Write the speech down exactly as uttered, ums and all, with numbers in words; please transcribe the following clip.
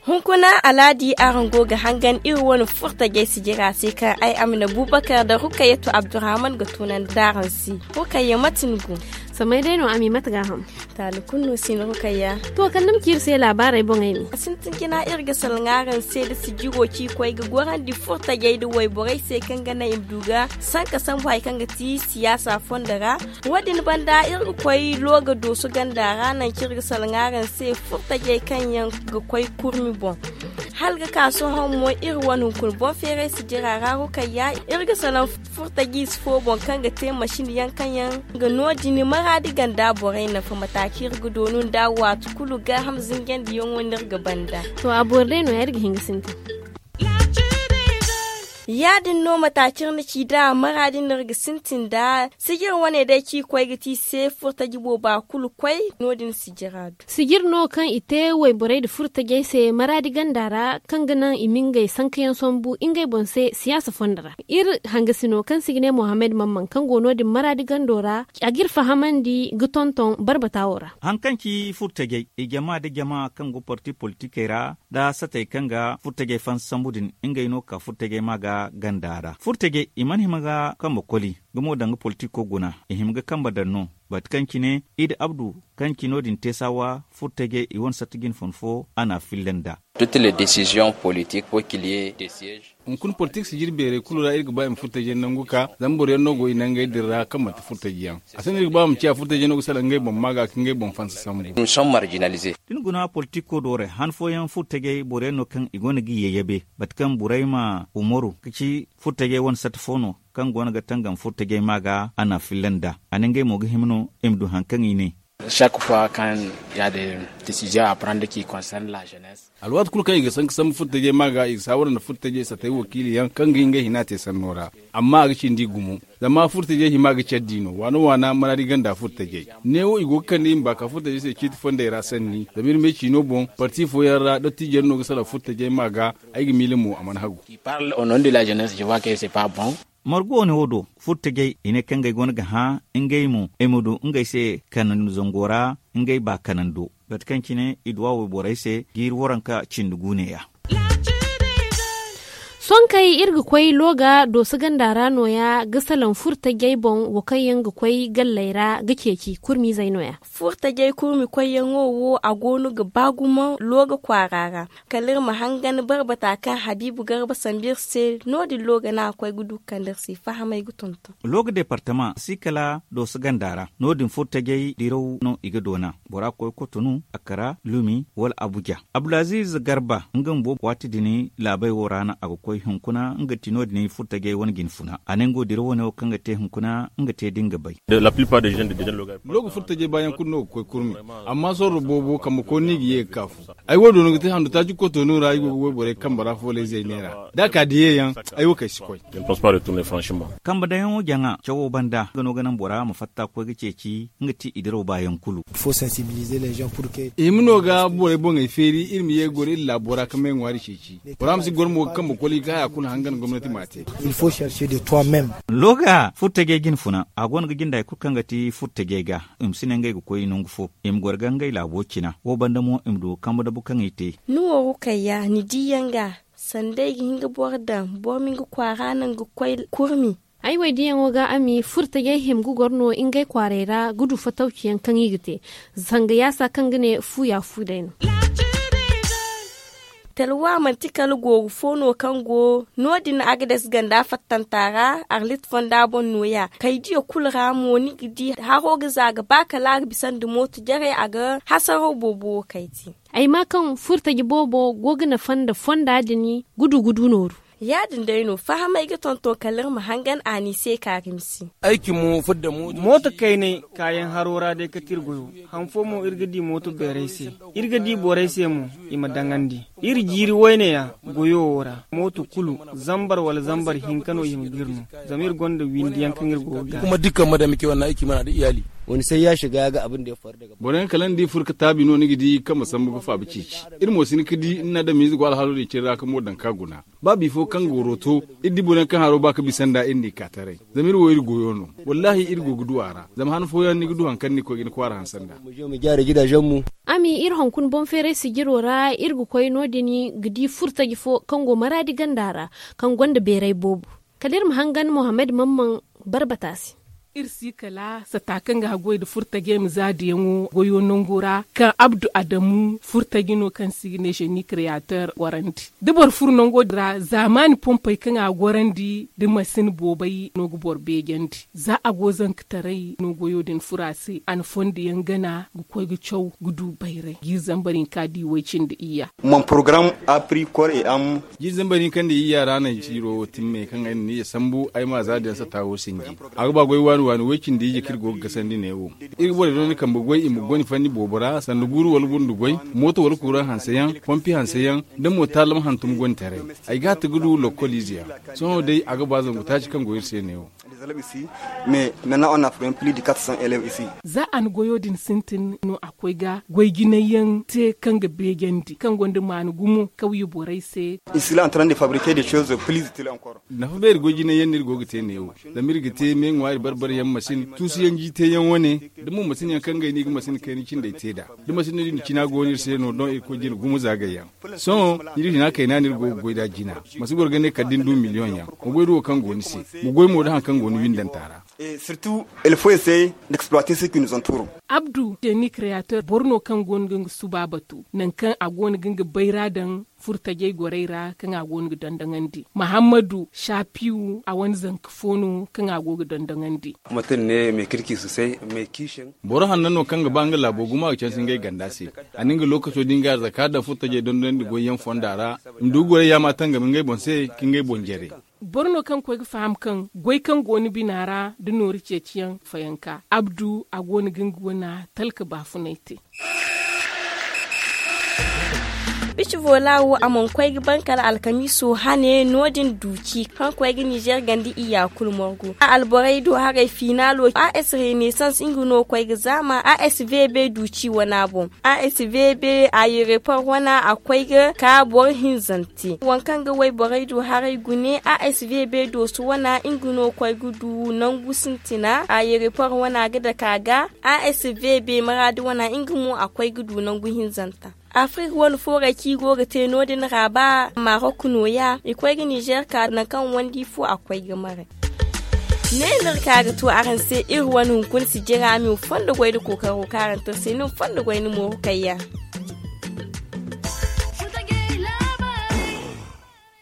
Hunkuna alaadi araŋ go ga hangan iri wane furtajey sijira se kaŋ ay amina bubakar da rukayatu abdurrahman ga tunandi araŋ se. Rukayya mate ni go? Samay day no ami mate ga ham. Taali kulu no si ni rukayya. To kala ni ma ci iri se laabaarey boŋey ne. A sintin jina iri ga salaŋ araŋ se da sijiro ci koy ga gorandi furtajey da wayborey se kaŋ ga naŋ i ma du ga sanka sambu hari kaŋ ga ti siyaasa fondo ra. Wo- din banda iri ga koy looga dooso ganda ra naŋ kaŋ iri ga salaŋ araŋ se furtajey kaŋ yaŋ ga koy kurmi boŋ. Hala ga ka sohõ mo iri wane hunkuna boŋ feeray sijira ra rukayya. Iri ga salaŋ furtajiize fo boŋ kaŋ ga te masin yaŋ kaŋ yaŋ ga no- din maraadi ganda borey nafa mataci iri ga doonu nda waati kulu gaaham zinjandiyaŋo no iri ga banda. To a boro day no- ya iri ga hin ga sintin. Ya- din no mataci iri na ci nd'a maraadi no iri ga sintin nd'a. Sijir wane day ci koy ga ti se furtaji booba kulu koy no- din sijira do. Sijir no kaŋ i te wayborey nda furtajey se maraadi ganda ra kaŋ ga naŋ i ma ngey sankayaŋ sambu ngey boŋ se siyaasa fondo ra. Iri hangasino kaŋ se i ga ne mohammed mamman kaŋ go no- din maraadi gando ra a ga iri fahamandi ga tonton barbata wo ra. Hari kaŋ ci furtajey i jama nda jama kaŋ go parti politikey ra nda satey kaŋ ga furtajey fansa sambu din ngey no ga ka furtajey ma ga ganda ra furtajey i mana hima ga kambe koli. Gumo danga politiko guna i hima ga kambe daŋ no. Bate kaŋ cine i da abdu kaŋ ci no- din te saawa furtajey i wane satta jine fun fo a na a filla nd'a. Hunkuna politik sijir beerey kulu ra iri ga ba i ma furtajey nangu ka zama boro yaŋ no go i nangey din ra kaŋ manti furtajey yaŋ. A sinda iri ga ba ma ciya furtajey no ga salaŋ ngey boŋ ma ga ka ngey boŋ fansa sambu. Da ni guna politiko doorey han fooyaŋ furtajey boro yaŋ no kaŋ i gonda ga i yayyabe bate kaŋ burayma umaru ga ci furtajey wane satta fo no kaŋ go no ga tangam furtajey ma ga a na a filla nd'a. A ne ngey mo ga hima no i ma du hari kaŋ i ne. Chaque fois kaŋ ya de décision a prendre ki concerne la jeunesse. Alwaati kulu kaŋ i ga sanka sambu furtajey ma ga i ga saawara nda furtajey satey wakiili yaŋ kaŋ ga ngey hina te sanno ra. Amma a ga cindi gumo zama furtajey hima ga care di no waana waana maraadi ganda furtajey. Neewo i go ga kande i ma ba ka furtajey se ciiti fondey ra sanni zama iri ma ay ciino boŋ parti fooyaŋ ra dottijo yaŋ no ga salaŋ furtajey ma ga. Ay ga miila mo a mana hagu. Margu wane wo do furtajey i ne kaŋ ngey go no ga hã ngey mo i ma du ngey se kanandi zango ra ngey ba kanando. Bate kaŋ cine i duwa wayborey se jiiri waranka cindi guune ya. Sonkey iri ga koy looga dooso ganda ra nooya ga salaŋ furtajey boŋ wo kaŋ yaŋ ga koy galley ra ga ceeci kurmiizey nooya. Furtajey kurmi koyyaŋo wo a go no ga ba gumo looga kwaara ra. Kala iri ma hangan barbata kaŋ habiibu garba sambu iri se no- din looga no a ga koy ga du ga kande iri se fahamey ga tonton. Looga departama si kala dooso ganda ra no- din furtajey diraw no i ga doona. Bora ga koy kotonu, akara, lumi, wala abuja. Abdulaziiz garba nga bumbo waati din laabey wo ra no a ga koy hunkuna nga ti no- din furtajey wane jinfuna a ne nga wo diraw wane wo kaŋ ga te hunkuna nga te da nga bay. Looga furtajey baayaŋ kulu no ga koy kurmi. Amma sorro boobo kambe kooni no i ga ye ga ka fu. Ay wo do no ga te handu taaci kotono ra ay go ga wayborey kambe ra foolay zayne ra da a ka diyeyaŋ. Ay wo kay si koy. Kambe daŋyaŋo jaŋa cawo banda nga no ga naŋ bora ma fatta koy ga ceeci nga ti i diraw baayaŋ kulu. I hima no ga borey boŋey feeri iri ma ye ga goro iri laabo ra ga may ŋwaari ceeci. Bora ma si goro mo ga kambe koli ga haya kulu hangan gomnati ma a te. Looga furtajey jinfuna a go no ga jinde hari kulu kaŋ ga ti furtajey ga. I ma si ne ngey ga koy nangu fo i ma goro ga ngey laabo cina wo banda mo i ma du ga kambe dabu kaŋ i te. Ni wo rukayya ni diiyaŋ ga sanda ay ga hin ga boro daŋ boro ma nga kwaara naŋ ga koy kurmi. Ay wo ay diiyaŋo ga a ma furtajey hima ga goro no ngey kwaarey ra ga du fatawciyaŋ kaŋ i ga te. Zanga yaasa kaŋ ga ne fu ya fu day no. Talwa manti kala gooru fo no kaŋ go no- din agades ganda fattanta ra. Arlit fonda boŋ nooya kay diya kulu ra mo ni ga di haro ga za ga ba kala a ga bisa nda mooto jarey a ga hasaro boobo wo kay te. Ay maa kaŋ furtaji boobo go ga nafa nda fonda din gudu gudu nooru. Ya- din day no fahamay ga tonton kala iri ma hangan a n'i se kaari misi. Mooto kaynay kaayaŋ haro ra day kate iri goyo. Han fo mo iri ga di mooto beerey se. Iri ga di borey se mo i ma daŋandi. Iri jiiri wayne ya goyo wo ra mooto kulu zambar wala zambar hinka no i ma ga iri no. Zama iri gonda windi yaŋ kaŋ iri go ga gaani. Wani sai ya shiga ya ga abin da ya faru daga boro yaŋ kala ni di furo ga taabi no ni ga di kaŋ ma sambu ga faabi ceeci. Iri mo si hin ga di ni na adamiize go alhaalo din cine ra ka mo daŋ ka guna. Ba bifo kaŋ ga waro to, iri di boro yaŋ kaŋ haro ba ga bisa nd'a iri n'i ka taray. Zama iri wo iri goyo no. Wallaahi iri go ga du a ra. Zama han fooyaŋ ni ga du hari kaŋ ni ga koy ga ni kwaara hanse nd'a. Ami, iri hunkuna boŋ feeray sijiro ra iri ga koy no- din ga di furtaji fo kaŋ go maraadi ganda ra, kaŋ gonda beeray boobo. Kala iri ma hangan mohammed mamman barbata se. Iri si kala sata kaŋ ga haggoy nda furtajey ma za diyaŋo goyo nango ra kaŋ abdu adamu furtaji no kaŋ se i ga ne jeune createur gorandi. Da boro furo nango din ra zaamaani pompey kaŋ a gorandi nda masin boobey no ga boro beejandi. Za a go zankataray no goyo din furo a se a na fondo yaŋ gana ga koy ga caw ga du bayray ga iri zambar hinka di way cindi iyya. Mon porogaram a pri kor et am. Jiiri zambar hinka nda iyya ra no ay ciiro wo timme kaŋ ay na ni ye sambu ay ma za din sata wo sinji. A ga ba goy waani waani way cindi iyye kaŋ iri go ga gasandi neewo. Iri ga borey dooni kambe goy i ma goy ni fanni boobo ra sanda guuru wala gundu goy, mooto wala kuuraŋ hanse yaŋ, pompi hanse yaŋ, da mo taalam hantum goy ni taray. Ay ga hatti ga du lokkol ize yaŋ. Sohõ day a ga ba zangu taaci kaŋ go iri se neewo. Mais maintenant on a pris plus de quatre cents élèves ici. Za a na goyo din sintin no a koy ga goy jinay yaŋ te kaŋ ga beejandi kaŋ gonda maana gumo kawye borey se. Ici la en train de fabriquer des choses plus utiles encore. Nafa beeri goy jinay yaŋ no iri go ga te neewo. Zama iri ga te me ŋwaari barbari yaŋ masin tuusu yaŋ jiite yaŋ wane. Da mo masin yaŋ kaŋ ga ay no i ga masin kayna cindey te nd'a da masin din cina go no iri se no doŋ iri koy jina gumo zaagay yaŋ. Sohõ ni di hina kayna no iri go ga goy nd'a jina. Ma si goro ga ne kala da ni du miliyoŋ yaŋ ma goy da wo kaŋ go ni se. Ma goy mo da hari kaŋ go ni windanta ra. Surtout il faut essayer d'exploiter ce qui nous entoure. Abdu jeune createur boro no kaŋ go no ga nga suba batu nangu kaŋ a go no ga nga bayra daŋ furtajey gorey ra kaŋ a go no ga dondoŋandi. Mahammadu shapiwu a wane zanka fo no kaŋ a go ga dondoŋandi. Mutum ne mai kirki sosai mai kishin. Boro hanno no kaŋ ga ba nga laabo gumo a ga canse ngey ganda se. A na nga lookaco din ga arzaka daŋ furtajey dondoŋandi goyyaŋ fonda ra. I ma du ga gorey yaama tangam ngey boŋ se ka ngey boŋ jare. Boro no kaŋ koy ga faham kaŋ goy kaŋ go ni bina ra da nooru ceeciyaŋ fayanka abdu a go no ga nga wana talka baafunay te. Bici vola wo a mana koy ga ban kala alkamiiso hane no- din duuci kaŋ koy ga nizer ganda iyya kulu morgu a alborey do haray finaalo a s renaissance nga no koy ga zaama a s v b duuci wana boŋ. A s v b a yerepor wana a koy ga ka boro hinzante waŋ kaŋ ga wayborey do haray gune a s v b dooso wana nga no koy ga du nangu sintina a yerepor wana ga dake a ga. A s v b maraadi wana nga mo a koy ga du nangu hinzanta. Afrik wane foorey kaŋ i go ga te no- din ra ba marok nooya i koy ga nizer ka nangu kaŋ wandi fo a koy ga maray. Ne no iri ka ga to araŋ se iri wane hunkuna sijira a ma i ma fondo goy nda kookaro kaŋ araŋ te iri se ni ma fondo goy nda mooru kayyaŋ.